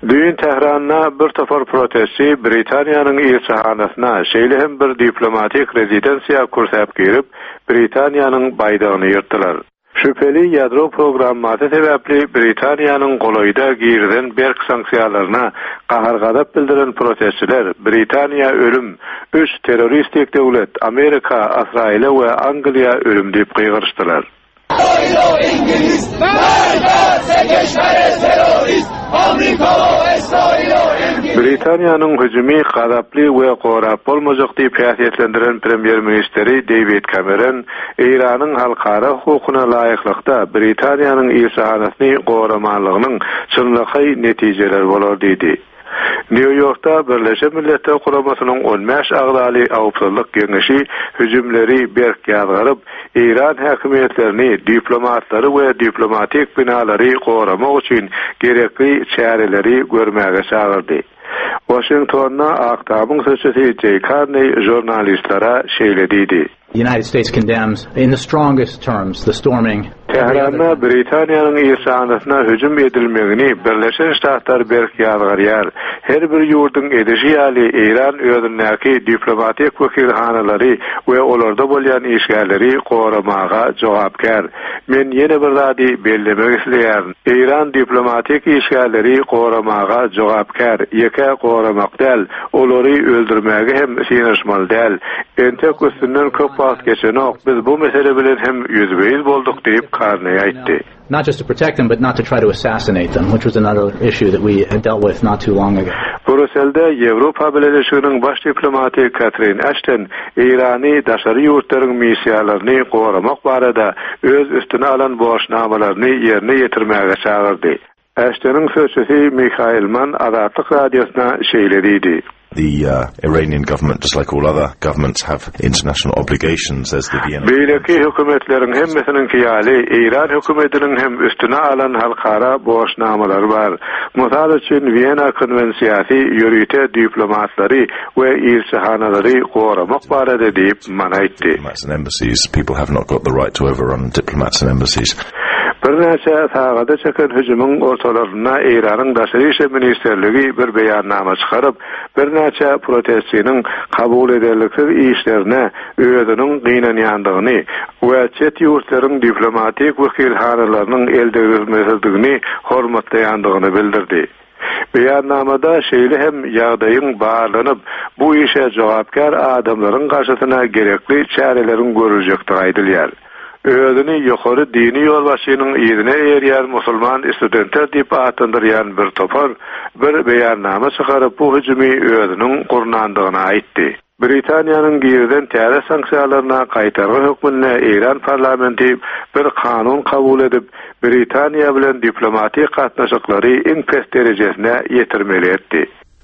Düýn Tähranda bir topar protestçi Britaniýanyň ilçihanasyna, şeýle hem bir diplomatik rezidensiýa kürsäp girip, Britaniýanyň baýdagyny ýyrtdylar. Şübheli ýadro programmasy sebäpli Britaniýanyň golaýda girizen berk sanksiýalaryna gahar-gazap bildiren protestçiler Britaniýa ölüm, üç terroristik döwlet, Amerika, Ysraýyla we Angliýa ölüm diýip gygyryşdylar. Britaniýanyň hüjümi gazaply we gorap bolmajak diýip häsiýetlendiren premýer-ministri Deýwid Kameron Eýranyň halkara hukukyna laýyklykda Britaniýanyň ilçihanasyny goramanlygynyň çynlakaý netijeleri bolar diýdi. Nýu-Ýorkda Birleşen Milletler Guramasynyň on bäş agzaly Howpsuzlyk Geňeşi hüjümleri berk ýazgaryp, eýran häkimiýetlerini diplomatlary we diplomatik binalary goramak üçin gerekli çäreleri görmäge çagyrdy. Waşingtonda Ak Tamyň sözçüsi Jeý Karneý žurnalistlere şeýle diýdi. The United States condemns in the strongest terms the storming. Tähranda Britaniýanyň ilçihanasyna hüjüm edilmegini Birleşen Ştatlar berk ýazgarýar. Her bir ýurduň edişi ýaly Eýran özündäki diplomatik wekilhanalary we olarda bolýan işgärleri goramaga jogapkär. Men ýene bir zady bellemek isleýärin. Eýran diplomatik işgärleri goramaga jogapkär, ýeke goramak däl, olary öldürmäge hem synanyşmaly däl. Entek üstünden köp wagt geçenok, biz bu mesele bilen hem ýüzbe-ýüz bolduk diýip, Karneý aýtdy. Not just to protect them, but not to try to assassinate them, which was another issue that we had dealt with not too long ago. Brýusselde Ýewropa Bileleşiginiň baş diplomaty Katrin Aşton Eýrany daşary ýurtlaryň missiýalaryny goramak barada öz üstüne alan borçnamalaryny ýerine ýetirmäge çagyrdy. Aştonyň sözçüsi Mihail Mann Azatlyk Radiosyna şeýle diýdi. The Iranian government, just like all other governments, have international obligations. There's the Vienna Beýleki hökümetleriň hemmesiniňki ýaly, Eýran hökümetiniň hem üstüne alan halkara borçnamalary bar. Mysal üçin, Wena konwensiýasy ýörite diplomatlary we ilçihanalary goramak barada diýip, Mann aýtdy. Birnäçe sagada çeken hüjümiň ortalarynda Eýranyň Daşary işler ministrligi bir beýannama çykaryp, birnäçe protestçiniň kabul ederliksiz işlerine özüniň gynanýandygyny we çet ýurtlaryň diplomatik wekilhanalarynyň eldegrilmesizdigini hormatlaýandygyny bildirdi. Beýannamada şeýle hem ýagdaýyň barlanyp, bu işe jogapkär adamlaryň garşysyna gerekli çäreleriň görüljekdigi aýdylýar. Özüni ýokary dini ýolbaşçynyň yzyna eýerýän musulman studentler diýip atlandyrýan bir topar bir beýannama çykaryp, bu hüjümi özüniň gurnandygyny aýtdy. Britaniýanyň girizen täze sanksiýalaryna gaýtargy hökmünde Eýran parlamenti bir kanun kabul edip, Britaniýa bilen diplomatik gatnaşyklary iň pes derejesine ýetirmeli etdi.